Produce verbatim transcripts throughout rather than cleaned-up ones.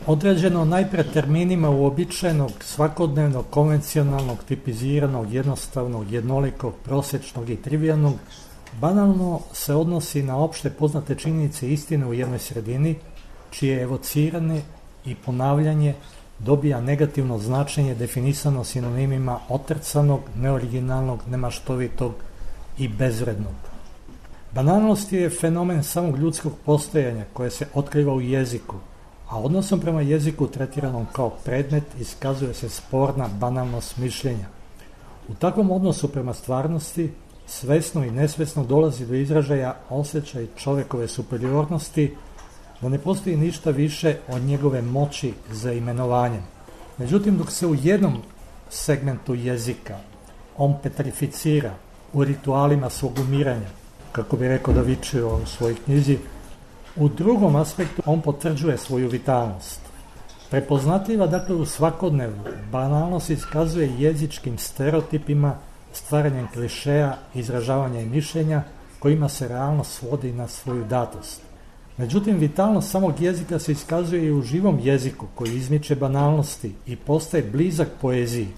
određeno najpre terminima uobičajenog, svakodnevnog, konvencionalnog, tipiziranog, jednostavnog, jednolikog, prosječnog i trivijalnog, banalno se odnosi na opšte poznate činjenice i istine u jednoj sredini, čije evocirane i ponavljanje dobija negativno značenje definisano sinonimima otrcanog, neoriginalnog, nemaštovitog i bezvrednog. Banalnost je fenomen samog ljudskog postojanja koje se otkriva u jeziku, a odnosom prema jeziku tretiranom kao predmet iskazuje se sporna banalnost mišljenja. U takvom odnosu prema stvarnosti svesno i nesvesno dolazi do izražaja osjećaj čovekove superiornosti, da ne postoji ništa više od njegove moći za imenovanjem. Međutim, dok se u jednom segmentu jezika on petrificira u ritualima svog umiranja, kako bi rekao Da Vinci u svojoj knjizi, u drugom aspektu on potvrđuje svoju vitalnost. Prepoznatljiva dakle u svakodnevnu, banalnost iskazuje jezičkim stereotipima, stvaranjem klišeja, izražavanja i mišljenja kojima se realno svodi na svoju datost. Međutim, vitalnost samog jezika se iskazuje i u živom jeziku koji izmiče banalnosti i postaje blizak poeziji.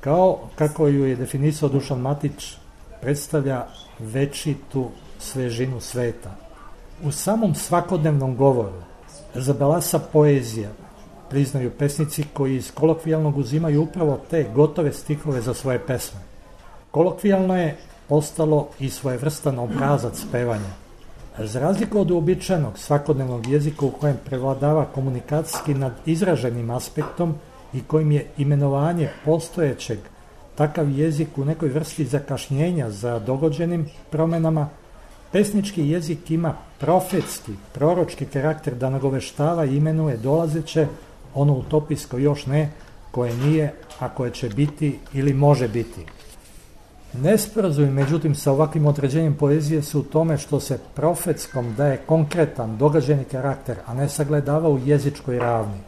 Kao kako ju je definisao Dušan Matić, predstavlja večitu svežinu sveta. U samom svakodnevnom govoru zabelasa poezija, priznaju pesnici koji iz kolokvijalnog uzimaju upravo te gotove stihove za svoje pesme. Kolokvijalno je postalo i svojevrstan obrazac pevanja. Za razliku od uobičajenog svakodnevnog jezika u kojem prevladava komunikacijski nad izraženim aspektom i kojim je imenovanje postojećeg, takav jezik u nekoj vrsti zakašnjenja za dogođenim promenama, pesnički jezik ima profetski, proročki karakter da nagoveštava i imenuje dolazeće, ono utopijsko još ne, koje nije, a koje će biti ili može biti. Nesporazumi, međutim, sa ovakvim određenjem poezije su u tome što se profetskom daje konkretan, događeni karakter, a ne sagledava u jezičkoj ravni.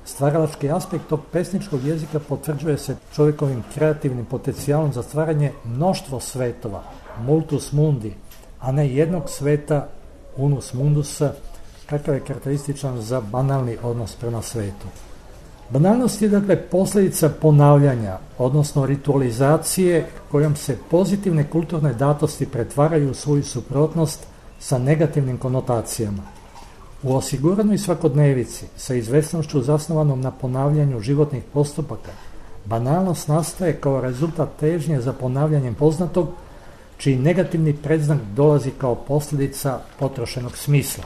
Stvaralački aspekt tog pesničkog jezika potvrđuje se čovjekovim kreativnim potencijalom za stvaranje mnoštvo svetova, multus mundi, a ne jednog sveta, unus mundusa, kakav je karakterističan za banalni odnos prema svetu. Banalnost je dakle posljedica ponavljanja, odnosno ritualizacije kojom se pozitivne kulturne datosti pretvaraju u svoju suprotnost sa negativnim konotacijama. U osiguranoj svakodnevici, sa izvesnošću zasnovanom na ponavljanju životnih postupaka, banalnost nastaje kao rezultat težnje za ponavljanjem poznatog, čiji negativni predznak dolazi kao posljedica potrošenog smisla.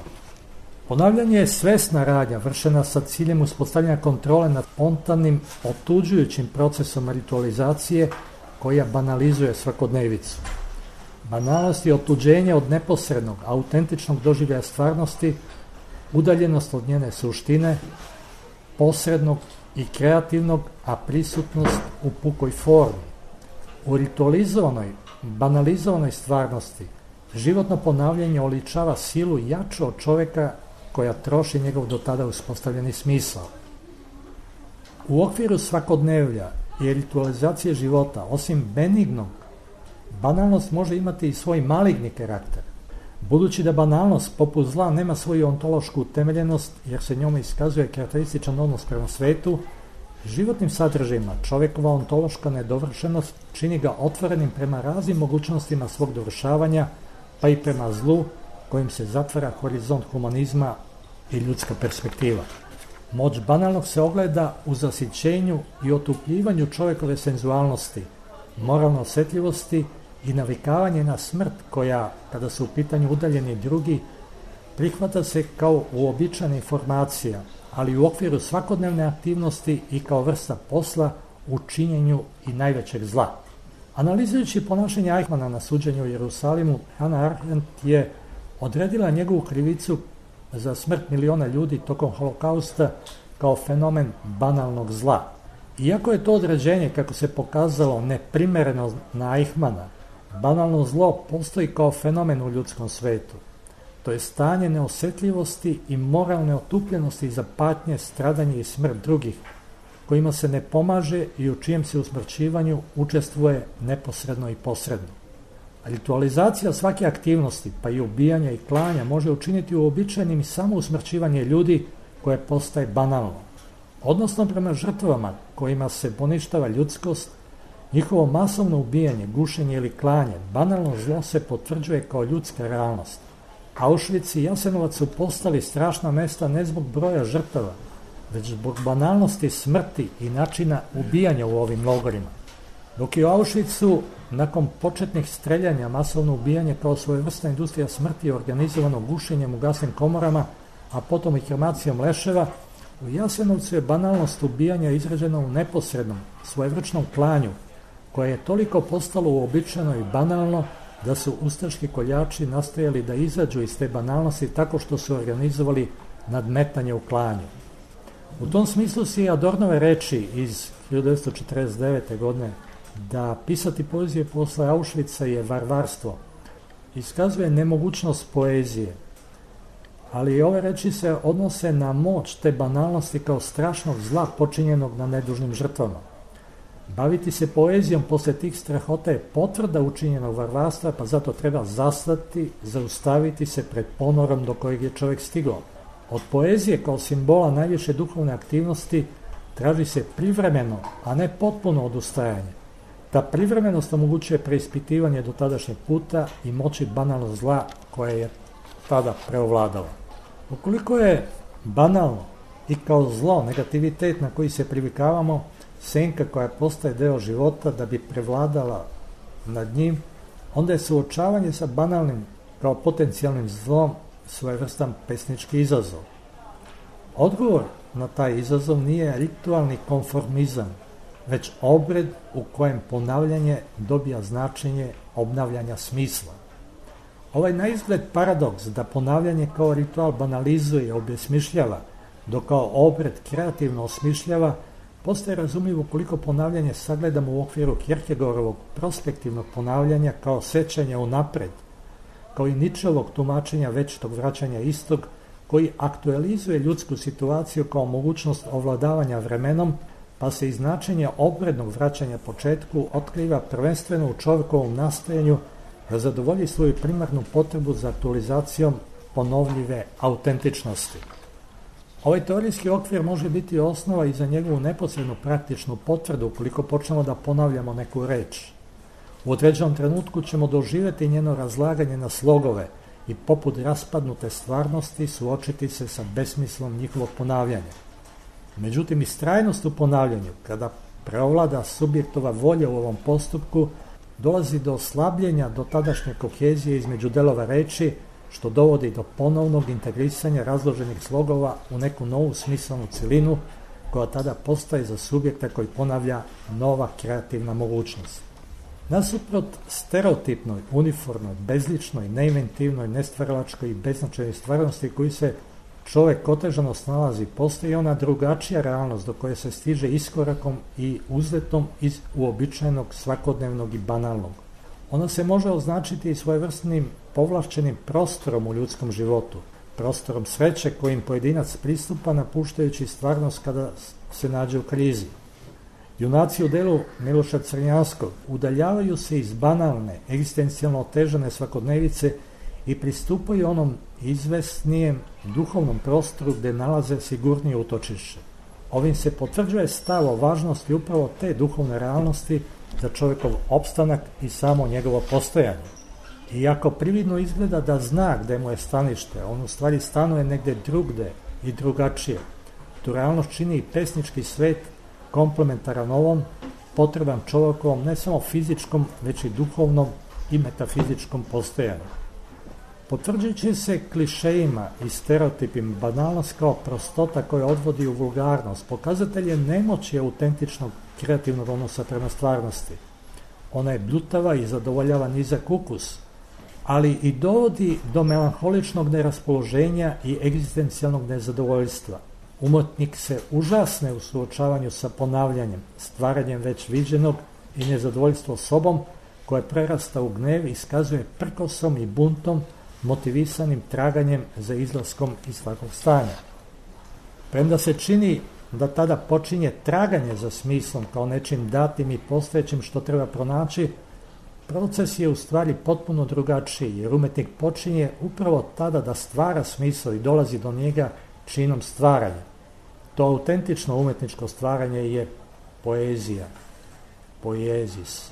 Ponavljanje je svesna radnja vršena sa ciljem uspostavljanja kontrole nad spontanim, otuđujućim procesom ritualizacije koja banalizuje svakodnevicu. Banalnost je otuđenje od neposrednog, autentičnog doživljaja stvarnosti, udaljenost od njene suštine, posrednog i kreativnog, a prisutnost u pukoj formi. U ritualizovanoj, banalizovanoj stvarnosti životno ponavljanje oličava silu jaču od čoveka koja troši njegov do tada uspostavljeni smisao. U okviru svakodnevlja i ritualizacije života, osim benignog, banalnost može imati i svoj maligni karakter. Budući da banalnost poput zla nema svoju ontološku utemeljenost jer se njome iskazuje karakterističan odnos prema svetu, životnim sadržajima čovjekova ontološka nedovršenost čini ga otvorenim prema raznim mogućnostima svog dovršavanja, pa i prema zlu kojim se zatvara horizont humanizma i ljudska perspektiva. Moć banalnog se ogleda u zasićenju i otupljivanju čovjekove senzualnosti, moralne osjetljivosti i navikavanje na smrt koja, kada su u pitanju udaljeni drugi, prihvata se kao uobičajena informacija, ali u okviru svakodnevne aktivnosti i kao vrsta posla u činjenju i najvećeg zla. Analizirajući ponašanje Eichmanna na suđenju u Jerusalimu, Hannah Arendt je odredila njegovu krivicu za smrt miliona ljudi tokom holokausta kao fenomen banalnog zla. Iako je to određenje, kako se pokazalo, neprimereno na Eichmanna, banalno zlo postoji kao fenomen u ljudskom svetu. To je stanje neosjetljivosti i moralne otupljenosti za patnje, stradanje i smrt drugih, kojima se ne pomaže i u čijem se usmrćivanju učestvuje neposredno i posredno. Ritualizacija svake aktivnosti, pa i ubijanja i klanja, može učiniti uobičajenim samo usmrćivanje ljudi koje postaje banalno. Odnosno prema žrtvama kojima se poništava ljudskost, njihovo masovno ubijanje, gušenje ili klanje, banalno zlo se potvrđuje kao ljudska realnost. Auschwitz i Jasenovac su postali strašna mesta ne zbog broja žrtava, već zbog banalnosti smrti i načina ubijanja u ovim logorima. Dok je u Auschwitzu, nakon početnih streljanja, masovno ubijanje kao svojevrsna industrija smrti organizovano gušenjem u gasnim komorama, a potom i kremacijom leševa, u Jasenovcu je banalnost ubijanja izražena u neposrednom, svojevrčnom klanju, koje je toliko postalo uobičajeno i banalno da su ustaški koljači nastojali da izađu iz te banalnosti tako što su organizovali nadmetanje u klanju. U tom smislu si Adornove reči iz hiljadu devetsto četrdeset devete. godine da pisati poezije posle Auschwitza je varvarstvo, iskazuje nemogućnost poezije, ali i ove reči se odnose na moć te banalnosti kao strašnog zla počinjenog na nedužnim žrtvama. Baviti se poezijom posle tih strahota je potvrda učinjenog varvarstva, pa zato treba zastati, zaustaviti se pred ponorom do kojeg je čovjek stigao. Od poezije kao simbola najviše duhovne aktivnosti traži se privremeno, a ne potpuno odustajanje. Ta privremenost omogućuje preispitivanje do tadašnjeg puta i moći banalnog zla koje je tada preovladala. Ukoliko je banalno i kao zlo, negativitet na koji se privikavamo, senka koja postaje deo života da bi prevladala nad njim, onda je suočavanje sa banalnim kao potencijalnim zlom svojevrstan pesnički izazov. Odgovor na taj izazov nije ritualni konformizam, već obred u kojem ponavljanje dobija značenje obnavljanja smisla. Ovaj naizgled paradoks da ponavljanje kao ritual banalizuje i obesmišljava, dok kao obred kreativno osmišljava, postaje razumljivo ukoliko ponavljanje sagledamo u okviru Kierkegaardovog prospektivnog ponavljanja kao sećanja unapred, kao i Nietzscheovog tumačenja večitog vraćanja istog, koji aktualizuje ljudsku situaciju kao mogućnost ovladavanja vremenom, pa se iz značenja obrednog vraćanja početku otkriva prvenstveno u čovjekovom nastojanju da zadovolji svoju primarnu potrebu za aktualizacijom ponovljive autentičnosti. Ovaj teorijski okvir može biti osnova i za njegovu neposrednu praktičnu potvrdu ukoliko počnemo da ponavljamo neku reč. U određenom trenutku ćemo doživjeti njeno razlaganje na slogove i poput raspadnute stvarnosti suočiti se sa besmislom njihovog ponavljanja. Međutim, istrajnost u ponavljanju, kada preovlada subjektova volja u ovom postupku, dolazi do oslabljenja do tadašnje kohezije između delova reči, što dovodi do ponovnog integrisanja razloženih slogova u neku novu smislenu celinu, koja tada postaje za subjekta koji ponavlja nova kreativna mogućnost. Nasuprot stereotipnoj, uniformnoj, bezličnoj, neinventivnoj, nestvaralačkoj i beznačajnoj stvarnosti koji se čovek otežano snalazi, postoji ona drugačija realnost do koje se stiže iskorakom i uzletom iz uobičajenog, svakodnevnog i banalnog. Ona se može označiti i svojevrsnim povlašćenim prostorom u ljudskom životu, prostorom sreće kojim pojedinac pristupa napuštajući stvarnost kada se nađe u krizi. Junaci u delu Miloša Crnjanskog udaljavaju se iz banalne, egzistencijalno otežane svakodnevice i pristupaju onom izvesnijem duhovnom prostoru gde nalaze sigurnije utočište. Ovim se potvrđuje stav o važnosti upravo te duhovne realnosti za čovjekov opstanak i samo njegovo postojanje. Iako prividno izgleda da zna gde mu je stanište, on u stvari stanuje negde drugde i drugačije. Tu realnost čini i pesnički svet komplementaran ovom, potreban čovjekovom ne samo fizičkom, već i duhovnom i metafizičkom postojanju. Potvrđujući se klišejima i stereotipima, banalnost kao prostota koja odvodi u vulgarnost, pokazatelj je nemoći autentičnog kreativnog odnosa prema stvarnosti. Ona je bljutava i zadovoljava nizak ukus, ali i dovodi do melanholičnog neraspoloženja i egzistencijalnog nezadovoljstva. Umetnik se užasne u suočavanju sa ponavljanjem, stvaranjem već viđenog i nezadovoljstvo sobom koje prerasta u gnev i iskazuje prkosom i buntom motivisanim traganjem za izlaskom iz svakog stanja. Premda se čini da tada počinje traganje za smislom kao nečim datim i postojećim što treba pronaći, proces je u stvari potpuno drugačiji, jer umetnik počinje upravo tada da stvara smisao i dolazi do njega činom stvaranja. To autentično umetničko stvaranje je poezija, poezis.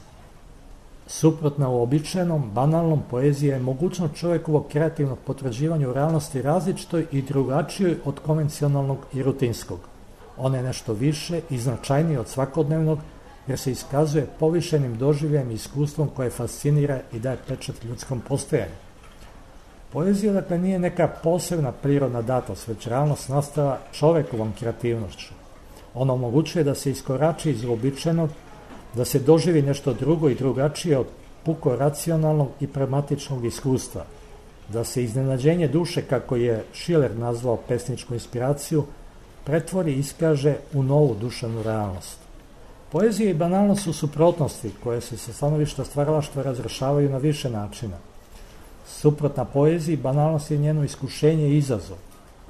Suprotna uobičajenom, banalnom, poezija je mogućnost čovjekovog kreativnog potvrđivanja u realnosti različitoj i drugačijoj od konvencionalnog i rutinskog. Ona je nešto više i značajnije od svakodnevnog, jer se iskazuje povišenim doživljajem i iskustvom koje fascinira i daje pečat ljudskom postojanju. Poezija, dakle, nije neka posebna prirodna datost, već realnost nastava čovjekovom kreativnošću. Ona omogućuje da se iskorači iz uobičajenog, da se doživi nešto drugo i drugačije od puko racionalnog i pragmatičnog iskustva, da se iznenađenje duše, kako je Schiller nazvao pesničku inspiraciju, pretvori i iskaže u novu duševnu realnost. Poezija i banalnost su suprotnosti koje se sa stanovišta stvaralaštva razrešavaju na više načina. Suprotna poeziji, banalnost je njeno iskušenje i izazov.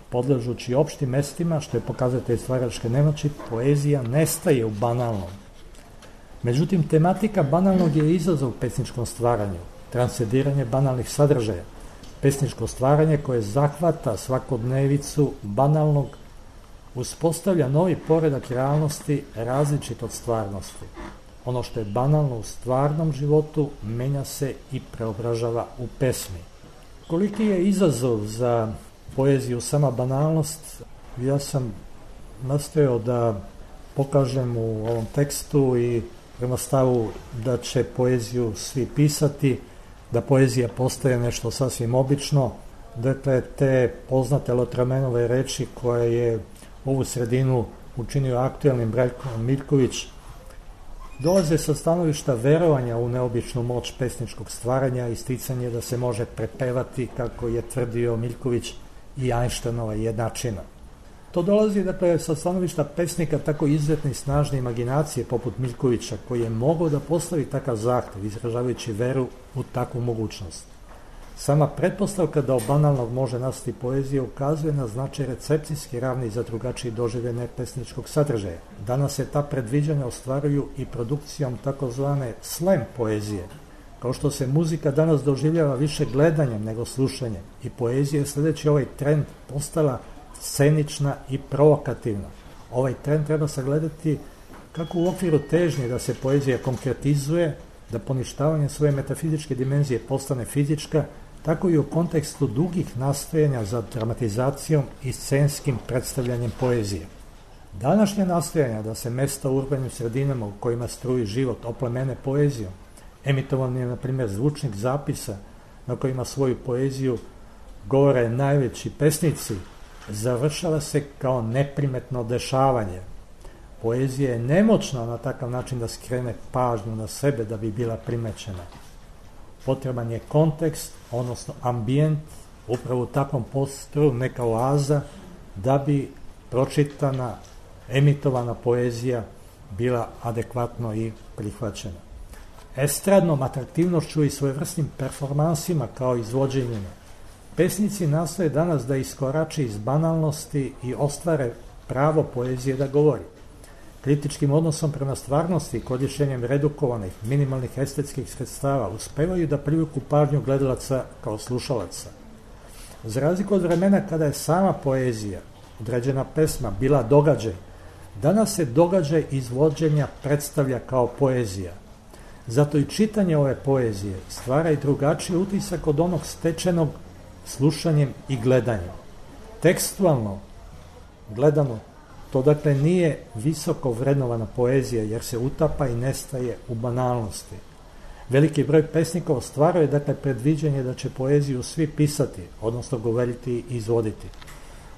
Podležući opštim mestima, što je pokazatelj stvaralačke nemoći, poezija nestaje u banalnom. Međutim, tematika banalnog je izazov u pesničkom stvaranju, transcendiranje banalnih sadržaja, pesničko stvaranje koje zahvata svakodnevicu banalnog, uspostavlja novi poredak realnosti različit od stvarnosti. Ono što je banalno u stvarnom životu menja se i preobražava u pesmi. Koliki je izazov za poeziju sama banalnost, ja sam nastojao da pokažem u ovom tekstu i prema stavu da će poeziju svi pisati, da poezija postaje nešto sasvim obično. Dakle, te poznate Lotramenove reči koje je ovu sredinu učinio aktuelnim Branko Miljković, dolaze sa stanovišta verovanja u neobičnu moć pesničkog stvaranja i isticanje da se može prepevati, kako je tvrdio Miljković, i Einsteinova jednačina. To dolazi, dakle, sa stanovišta pesnika tako izuzetne i snažne imaginacije poput Miljkovića, koji je mogao da postavi takav zahtev, izražavajući veru u takvu mogućnost. Sama pretpostavka da od banalnog može nastati poezija ukazuje na značaj recepcijski ravni za drugačiji doživljaj pesničkog sadržaja. Danas se ta predviđanja ostvaruju i produkcijom takozvane slam poezije, kao što se muzika danas doživljava više gledanjem nego slušanjem, i poezija je sljedeći ovaj trend postala scenična i provokativna. Ovaj trend treba sagledati kako u okviru težnje da se poezija konkretizuje, da poništavanje svoje metafizičke dimenzije postane fizička, tako i u kontekstu dugih nastojanja za dramatizacijom i scenskim predstavljanjem poezije. Današnje nastojanja da se mesta u urbanim sredinama u kojima struji život oplemene poezijom, emitovan je, na primjer, zvučnik zapisa na kojima svoju poeziju govore najveći pesnici, završava se kao neprimetno dešavanje. Poezija je nemoćna na takav način da skrene pažnju na sebe da bi bila primećena. Potreban je kontekst, odnosno ambijent, upravo u takvom prostoru, neka oaza, da bi pročitana, emitovana poezija bila adekvatno i prihvaćena. Estradnom atraktivnošću i svojevrsnim performansima kao izvođenjima, pesnici nastoje danas da iskorače iz banalnosti i ostvare pravo poezije da govori. Kritičkim odnosom prema stvarnosti i korišćenjem redukovanih, minimalnih estetskih sredstava uspevaju da privuku pažnju gledalaca kao slušalaca. Za razliku od vremena kada je sama poezija, određena pesma, bila događaj, danas se događaj izvođenja predstavlja kao poezija. Zato i čitanje ove poezije stvara i drugačiji utisak od onog stečenog slušanjem i gledanjem. Tekstualno gledano, to dakle nije visoko vrednovana poezija, jer se utapa i nestaje u banalnosti. Veliki broj pesnika ostvaruje dakle predviđanje da će poeziju svi pisati, odnosno govoriti i izvoditi.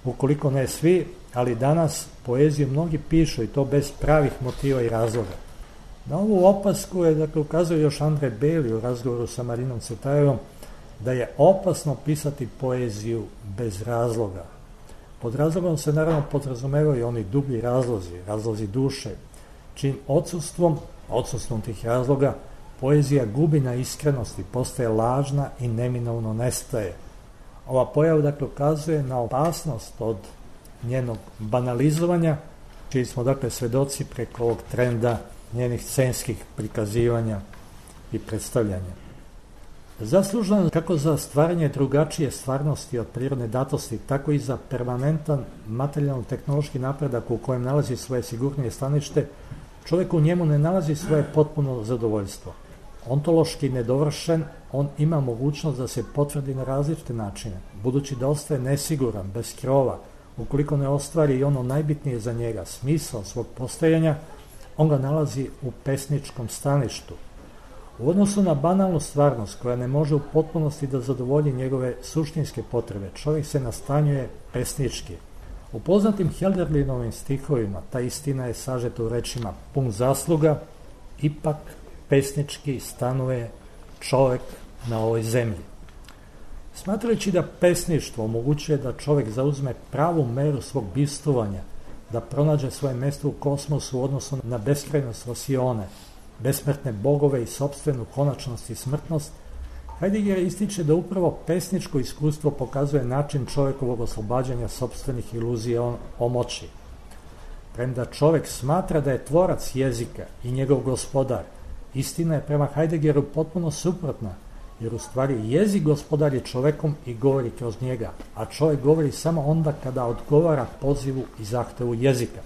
Ukoliko ne svi, ali danas poeziju mnogi pišu, i to bez pravih motiva i razloga. Na ovu opasku je, dakle, ukazuje još Andrej Beli u razgovoru sa Marinom Cvetajevom, da je opasno pisati poeziju bez razloga. Pod razlogom se naravno podrazumevaju oni dublji razlozi, razlozi duše, čim odsustvom, odsustvom tih razloga, poezija gubi na iskrenosti, postaje lažna i neminovno nestaje. Ova pojava, dakle, ukazuje na opasnost od njenog banalizovanja, čiji smo, dakle, svedoci preko ovog trenda njenih scenskih prikazivanja i predstavljanja. Zaslužan kako za stvaranje drugačije stvarnosti od prirodne datosti, tako i za permanentan materijalno-tehnološki napredak u kojem nalazi svoje sigurnije stanište, čovjek u njemu ne nalazi svoje potpuno zadovoljstvo. Ontološki nedovršen, on ima mogućnost da se potvrdi na različite načine, budući da ostaje nesiguran, bez krova, ukoliko ne ostvari i ono najbitnije za njega, smisao svog postojanja, on ga nalazi u pesničkom staništu. U odnosu na banalnu stvarnost koja ne može u potpunosti da zadovolji njegove suštinske potrebe, čovjek se nastanjuje pesnički. U poznatim Hölderlinovim stihovima ta istina je sažeta u rečima pun zasluga, ipak pesnički stanuje čovjek na ovoj zemlji. Smatrajući da pesništvo omogućuje da čovjek zauzme pravu meru svog bivstvovanja, da pronađe svoje mjesto u kosmosu u odnosu na beskrajnost Osione, besmrtne bogove i sopstvenu konačnost i smrtnost, Heidegger ističe da upravo pesničko iskustvo pokazuje način čovjekovog oslobađanja sopstvenih iluzija o moći. Premda čovjek smatra da je tvorac jezika i njegov gospodar, istina je prema Heideggeru potpuno suprotna, jer u stvari jezik gospodar je čovjekom i govori kroz njega, a čovjek govori samo onda kada odgovara pozivu i zahtevu jezika.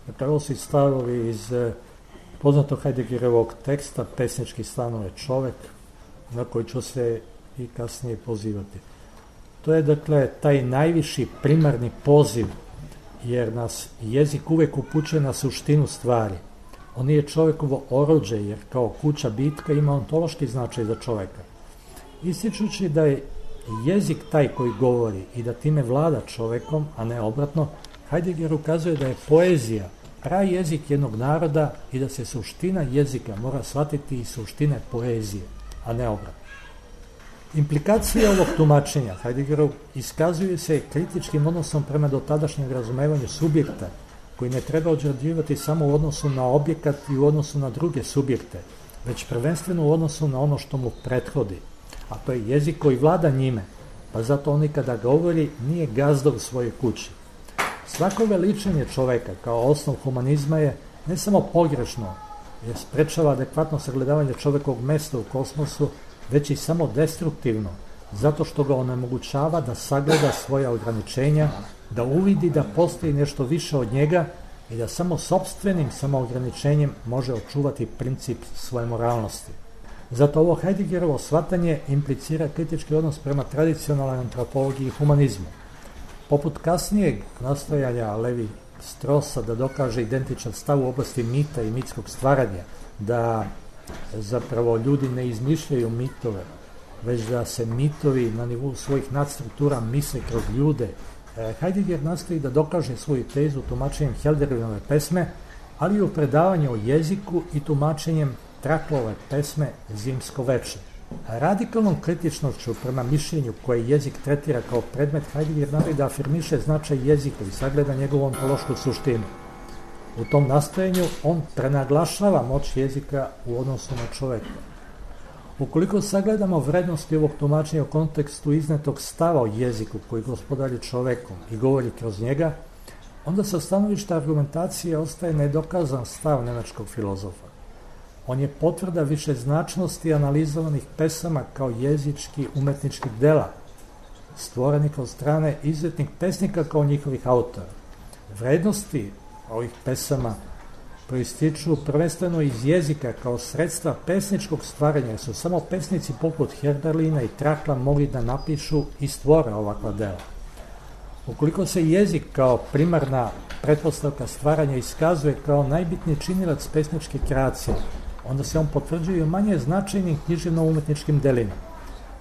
Dakle, ovo su stavovi iz poznatog Heideggerovog teksta Pesnički stanuje čovjek, na koji ću se i kasnije pozivati. To je, dakle, taj najviši primarni poziv, jer nas jezik uvijek upućuje na suštinu stvari. On nije čovjekovo oruđe, jer kao kuća bitka ima ontološki značaj za čovjeka. Ističući da je jezik taj koji govori i da time vlada čovjekom, a ne obratno, Heidegger ukazuje da je poezija pravi jezik jednog naroda i da se suština jezika mora shvatiti iz suštine poezije, a ne obratno. Implikacije ovog tumačenja Heideggerov iskazuju se kritičkim odnosom prema dotadašnjem razumevanju subjekta, koji ne treba određivati samo u odnosu na objekat i u odnosu na druge subjekte, već prvenstveno u odnosu na ono što mu prethodi, a to je jezik koji vlada njime, pa zato on kada govori nije gazda u svojoj kući. Svako veličanje čoveka kao osnov humanizma je ne samo pogrešno, jer sprečava adekvatno sagledavanje čovjekovog mjesta u kosmosu, već i samo destruktivno, zato što ga onemogućava da sagleda svoja ograničenja, da uvidi da postoji nešto više od njega i da samo sopstvenim samoograničenjem može očuvati princip svoje moralnosti. Zato ovo Heideggerovo shvatanje implicira kritički odnos prema tradicionalnoj antropologiji i humanizmu. Poput kasnijeg nastojanja Levi Strosa da dokaže identičan stav u oblasti mita i mitskog stvaranja, da zapravo ljudi ne izmišljaju mitove, već da se mitovi na nivou svojih nadstruktura misle kroz ljude, Heidegger nastoji da dokaže svoju tezu tumačenjem Hölderlinove pesme, ali i u predavanju o jeziku i tumačenjem Traklove pesme Zimsko veče. Radikalnom kritičnošću prema mišljenju koje jezik tretira kao predmet, Heidegger nastoji da afirmiše značaj jezika i sagleda njegovu ontološku suštinu. U tom nastojenju on prenaglašava moć jezika u odnosu na čovjeka. Ukoliko sagledamo vrednosti ovog tumačenja u kontekstu iznetog stava o jeziku koji gospodari čovjekom i govori kroz njega, onda sa stanovišta argumentacije ostaje nedokazan stav nemačkog filozofa. On je potvrda višeznačnosti analizovanih pesama kao jezički umetničkih dela, stvorenih od strane izuzetnih pesnika kao njihovih autora. Vrednosti ovih pesama proističu prvenstveno iz jezika kao sredstva pesničkog stvaranja, su samo pesnici poput Hölderlina i Trakla mogli da napišu i stvore ovakva dela. Ukoliko se jezik kao primarna pretpostavka stvaranja iskazuje kao najbitniji činilac pesničke kreacije, onda se on potvrđuje manje značajnim književno-umetničkim delima.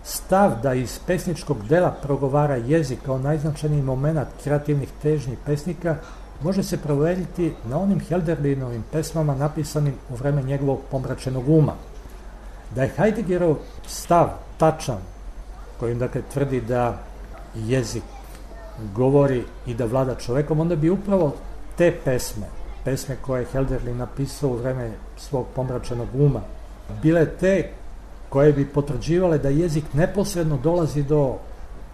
Stav da iz pesničkog dela progovara jezik kao najznačajniji moment kreativnih težnji pesnika može se proveriti na onim Hölderlinovim pesmama napisanim u vreme njegovog pomračenog uma. Da je Heideggerov stav tačan, kojim dakle tvrdi da jezik govori i da vlada čovekom, onda bi upravo te pesme, pesme koje je Hölderlin napisao u vreme svog pomračenog uma, bile te koje bi potvrđivale da jezik neposredno dolazi do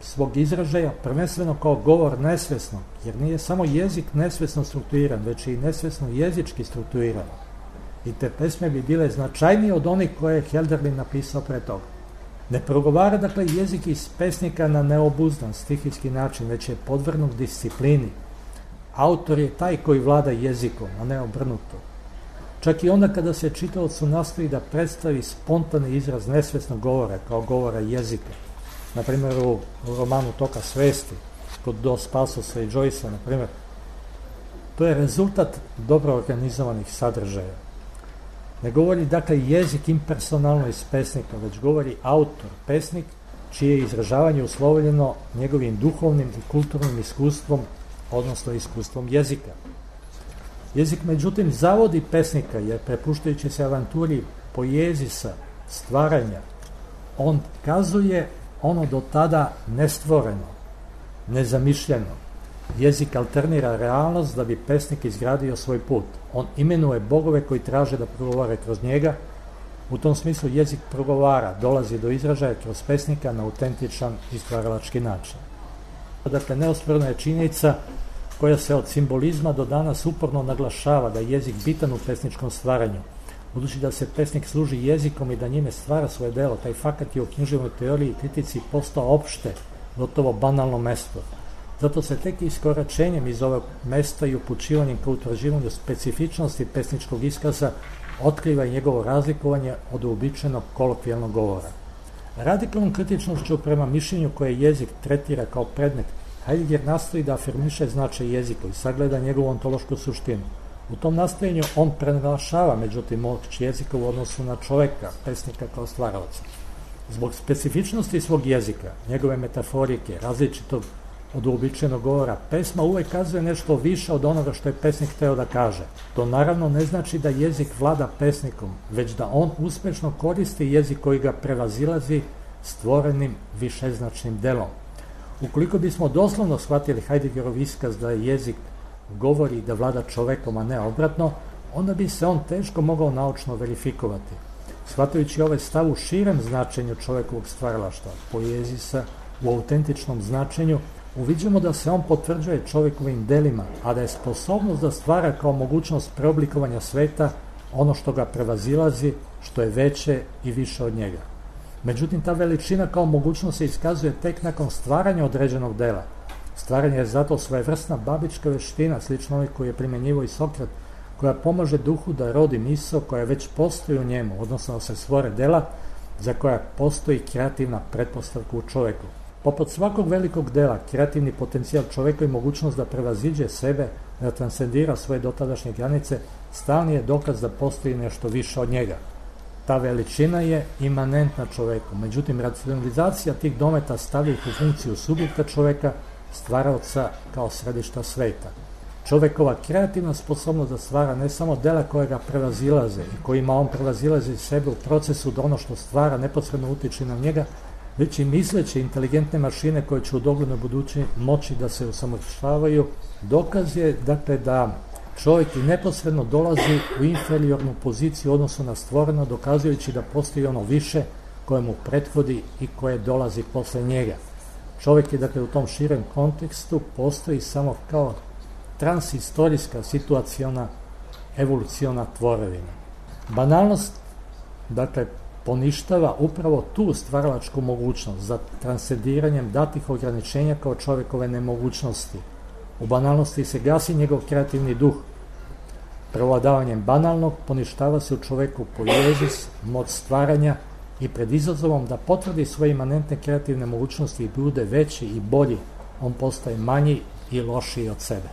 svog izražaja, prvenstveno kao govor nesvesno, jer nije samo jezik nesvesno strukturiran, već i nesvesno jezički strukturiran. I te pesme bi bile značajnije od onih koje je Hölderlin napisao pre toga. Ne progovara dakle jezik iz pesnika na neobuzdan stihijski način, već je podvrgnut disciplini. Autor je taj koji vlada jezikom, a ne obrnuto. Čak i onda kada se čitaocu nastoji da predstavi spontani izraz nesvesnog govora kao govora jezika. Na primjer u romanu Toka svesti, kod Dos Passosa i Joycea, na primjer, to je rezultat dobro organizovanih sadržaja. Ne govori dakle jezik impersonalno iz pesnika, već govori autor, pesnik, čije je izražavanje uslovljeno njegovim duhovnim i kulturnim iskustvom, odnosno iskustvom jezika. Jezik, međutim, zavodi pesnika, jer prepuštajući se avanturi poezisa, stvaranja, on kazuje ono do tada nestvoreno, nezamišljeno. Jezik alternira realnost da bi pesnik izgradio svoj put. On imenuje bogove koji traže da progovore kroz njega. U tom smislu jezik progovara, dolazi do izražaja kroz pesnika na autentičan i stvaralački način. Dakle, neosporna je činjenica koja se od simbolizma do danas uporno naglašava da je jezik bitan u pesničkom stvaranju. Budući da se pesnik služi jezikom i da njime stvara svoje delo, taj fakat je u književnoj teoriji i kritici postao opšte, gotovo banalno mesto. Zato se tek iskoračenjem iz ovog mesta i upućivanjem ka utvrđivanju specifičnosti pesničkog iskaza otkriva i njegovo razlikovanje od uobičajenog kolokvijalnog govora. Radikalnom kritičnošću prema mišljenju koje jezik tretira kao predmet, Heidegger nastoji da afirmiše značaj jezika i sagleda njegovu ontološku suštinu. U tom nastojenju on prenaglašava, međutim, moć jezika u odnosu na čoveka, pesnika kao stvaralaca. Zbog specifičnosti svog jezika, njegove metaforike, različitog od uobičajenog govora, pesma uvek kazuje nešto više od onoga što je pesnik hteo da kaže. To naravno ne znači da jezik vlada pesnikom, već da on uspešno koristi jezik koji ga prevazilazi stvorenim višeznačnim delom. Ukoliko bismo doslovno shvatili Heideggerov iskaz da je jezik govori da vlada čovekom, a ne obratno, onda bi se on teško mogao naučno verifikovati. Shvatajući ovaj stav u širem značenju čovekovog stvaralaštva, poezisa, u autentičnom značenju, uviđamo da se on potvrđuje čovekovim delima, a da je sposobnost da stvara kao mogućnost preoblikovanja sveta ono što ga prevazilazi, što je veće i više od njega. Međutim, ta veličina kao mogućnost se iskazuje tek nakon stvaranja određenog dela. Stvaranje je zato svojevrsna babička veština, slično onoj koju je primjenjivao i Sokrat, koja pomaže duhu da rodi misao koja već postoji u njemu, odnosno da se stvore dela za koja postoji kreativna pretpostavka u čoveku. Poput svakog velikog dela, kreativni potencijal čoveka i mogućnost da prevaziđe sebe, da transcendira svoje dotadašnje granice, stalni je dokaz da postoji nešto više od njega. Ta veličina je imanentna čoveku, međutim, racionalizacija tih dometa stavlja ih u funkciju subjekta čoveka, stvaraoca kao središta sveta. Čovekova kreativna sposobnost da stvara ne samo dela koje ga prevazilaze i kojima on prevazilazi sebe u procesu da ono što stvara neposredno utiče na njega, već i misleće inteligentne mašine koje će u doglednoj budući moći da se usavršavaju, dokaz je dakle da čovjek i neposredno dolazi u inferiornu poziciju u odnosu na stvoreno, dokazujući da postoji ono više koje mu prethodi i koje dolazi posle njega. Čovjek je dakle u tom širem kontekstu postoji samo kao transhistorijska situaciona evoluciona tvorevina. Banalnost dakle poništava upravo tu stvaralačku mogućnost za transcendiranjem datih ograničenja kao čovjekove nemogućnosti. U banalnosti se gasi njegov kreativni duh. Prevladavanjem banalnog poništava se u čoveku poezis, moć stvaranja i pred izazovom da potvrdi svoje imanentne kreativne mogućnosti i bude veći i bolji, on postaje manji i lošiji od sebe.